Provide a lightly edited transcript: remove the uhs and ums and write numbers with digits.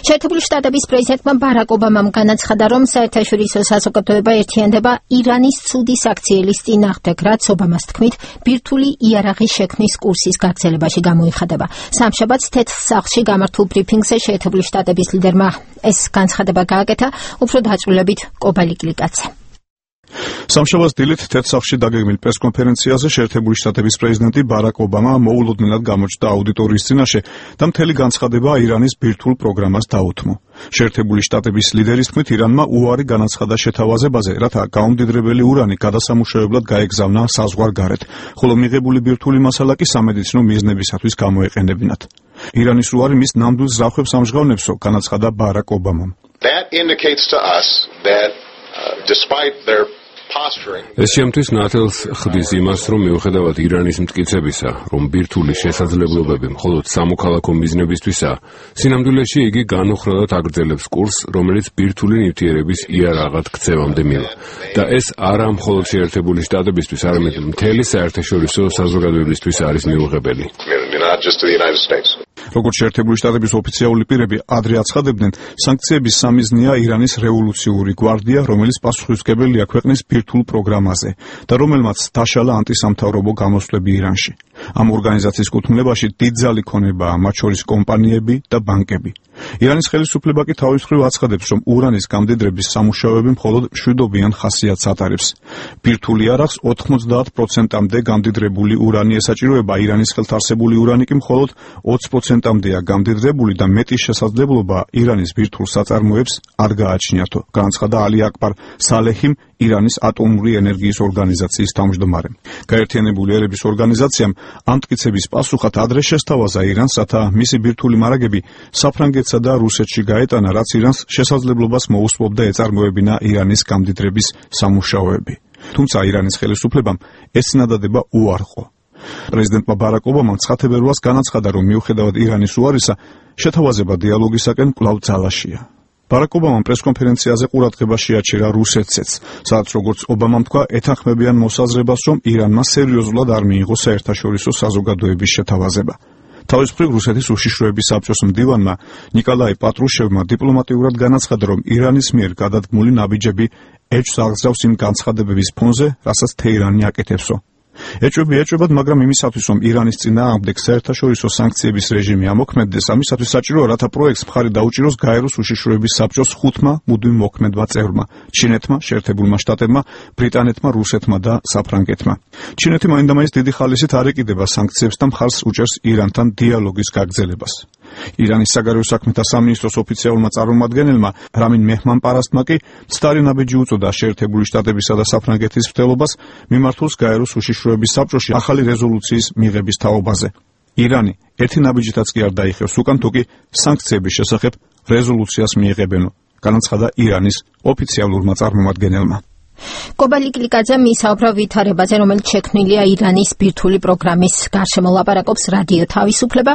შეერთებული შტატების პრეზიდენტმა ბარაკ ობამამ განაცხადა, რომ საერთაშორისო საზოგადოება ერთიანდება ირანის ცუდი საქციელის წინააღმდეგ, რაც ობამას თქმით, ბირთვული იარაღის შექმნის კურსის გაგრძელებაში გამოიხადება. სამშაბათს თეთრ სახლში გამართულ ბრიფინგზე შეერთებული შტატების ლიდერმა ეს განცხადება გააკეთა, უფრო დაწვრილებით კობალი კლიკაძე. სამშაბათს დილით თეთრ სახლში დაგეგმილ პრესკონფერენციაზე შეერთებული შტატების პრეზიდენტი ბარაკ ობამა მოულოდნელად გამოჩნდა აუდიტორიის წინაშე და მთელი განცხადება ირანის ბირთვულ პროგრამას დაუთმო. შეერთებული შტატების ლიდერის თქმით, ირანმა უარი განაცხადა შეთავაზებაზე, რათა გაუმდიდრებელი ურანი გადასამუშავებლად გაეგზავნა საზღვარგარეთ, ხოლო მიღებული ბირთვული მასალა კი სამედიცინო მიზნებისათვის გამოეყენებინათ. ირანის უარი მის ნამდვილ ზრახვებს ამჟღავნებსო, განაცხადა ბარაკ ობამამ. ეს შემთთვის ნათელს ხდის იმას, რომ მიუხედავად ირანის მტკიცებისა, რომ ბირთვული შესაძლებლობები მხოლოდ სამოქალაქო მიზნებისთვისაა, სინამდვილეში იგი განუხრადად აგრძელებს კურსს, რომელიც ბირთვული ნივთიერების იარაღად ქცევამდე მივა. და ეს არა მხოლოდ შეერთებული შტატებისთვის, არამედ მთელი საერთაშორისო საზოგადოებისთვის არის მიუღებელი. როგორც შეერთებული შტატების ოფიციალური პირები ადრე აცხადებდნენ, სანქციების სამიზნეა ირანის რევოლუციური გვარდია, რომელიც პასუხისმგებელია ქვეყნის ბირთვულ პროგრამაზე და რომელმაც დაშალა ანტისამთავრობო გამოსვლები ირანში. ამ ორგანიზაციის კუთვნილებაში დიდძალი ქონებაა, მათ შორის კომპანიები და ბანკები. ირანის ხელისუფლება კი თავის მხრივ აცხადებს, რომ ურანის გამდიდრების სამუშაოები მხოლოდ მშვიდობიან ხასიათს ატარებს. ბირთვული იარაღს 90%-მდე გამდიდრებული ურანი ესაჭიროება, ირანის ხელთარსებული ურანი კი მხოლოდ 20%-მდეა გამდიდრებული და მეტის შესაძლებლობა ირანის ბირთვულ საწარმოებს არ გააჩნიათო, განაცხადა ალი აკბარ სალეჰიმ, ირანის ატომური ენერგიის ორგანიზაციის თავმჯდომარე. გაერთიანებული ერების ორგანიზაციამ ამ მტკიცების პასუხად ადრე შესთავაზა ირანს, რათა მისი ბირთვული მარაგები საფრანგეთსა და რუსეთში გაეტანა, რაც ირანს შესაძლებლობას მოუსწრებდა ეწარმოებინა ირანის გამდიდრების სამუშაოები. თუმცა ირანის ხელისუფლებამ ეს წინადადება უარყო. პრეზიდენტმა ბარაკ ობამამ 9 თებერვალს განაცხადა, რომ მიუხედავად ირანის უარისა, შეთავაზება დიალოგისაკენ კვლავ ძალაშია. ბარაკ ობამამ პრესკონფერენციაზე ყურადღება შეაჩერა რუსეთსაც, სადაც როგორც ობამამ თქვა, ეთანხმებიან მოსაზრებას, რომ ირანმა სერიოზულად არ მიიღო საერთაშორისო საზოგადოების შეთავაზება. თავის მხრივ რუსეთის უშიშროების საბჭოს მდივანმა ნიკოლაი პატრუშევმა დიპლომატიურად განაცხადა, რომ ირანის მიერ გადადგმული ნაბიჯები ეჭვს აღზრავს იმ განცხადებების ფონზე, რასაც თეირანი აკეთებსო. ეჭვები ეჭვებად, მაგრამ იმისათვის, რომ ირანის წინააღმდეგ საერთაშორისო სანქციების რეჟიმი ამოქმედდეს, ამისათვის საჭიროა, რათა პროექტს მხარი დაუჭიროს გაეროს უშიშროების საბჭოს 5 მუდმივ მოქმედმა წევრმა: ჩინეთმა, შეერთებულმა შტატებმა, ბრიტანეთმა, რუსეთმა და საფრანგეთმა. ჩინეთი მაინდამაინც დიდი ხალისით არ ეკიდება სანქციებს და მხარს უჭერს ირანთან დიალოგის გაგრძელებას. ირანის საგარეო საქმეთა სამინისტროს ოფიციალურმა წარმომადგენელმა რამინ მეჰმანპარასტმა კი მცდარი ნაბიჯი უწოდა შეერთებული შტატებისა და საფრანგეთის მცდელობას მიმართულს გაეროს უშიშროების საბჭოში ახალი რეზოლუციის მიღების თაობაზე. ირანი ერთი ნაბიჯითაც კი არ დაიხევს უკან, თუკი სანქციების შესახებ რეზოლუციას მიიღებენო, განაცხადა ირანის ოფიციალურმა წარმომადგენელმა. კობალი კლიკაძე მისაუბრა ვითარებაზე, რომელიც შექმნილია ირანის ბირთვული პროგრამის გარშემო, ლაპარაკობს რადიო თავისუფლება.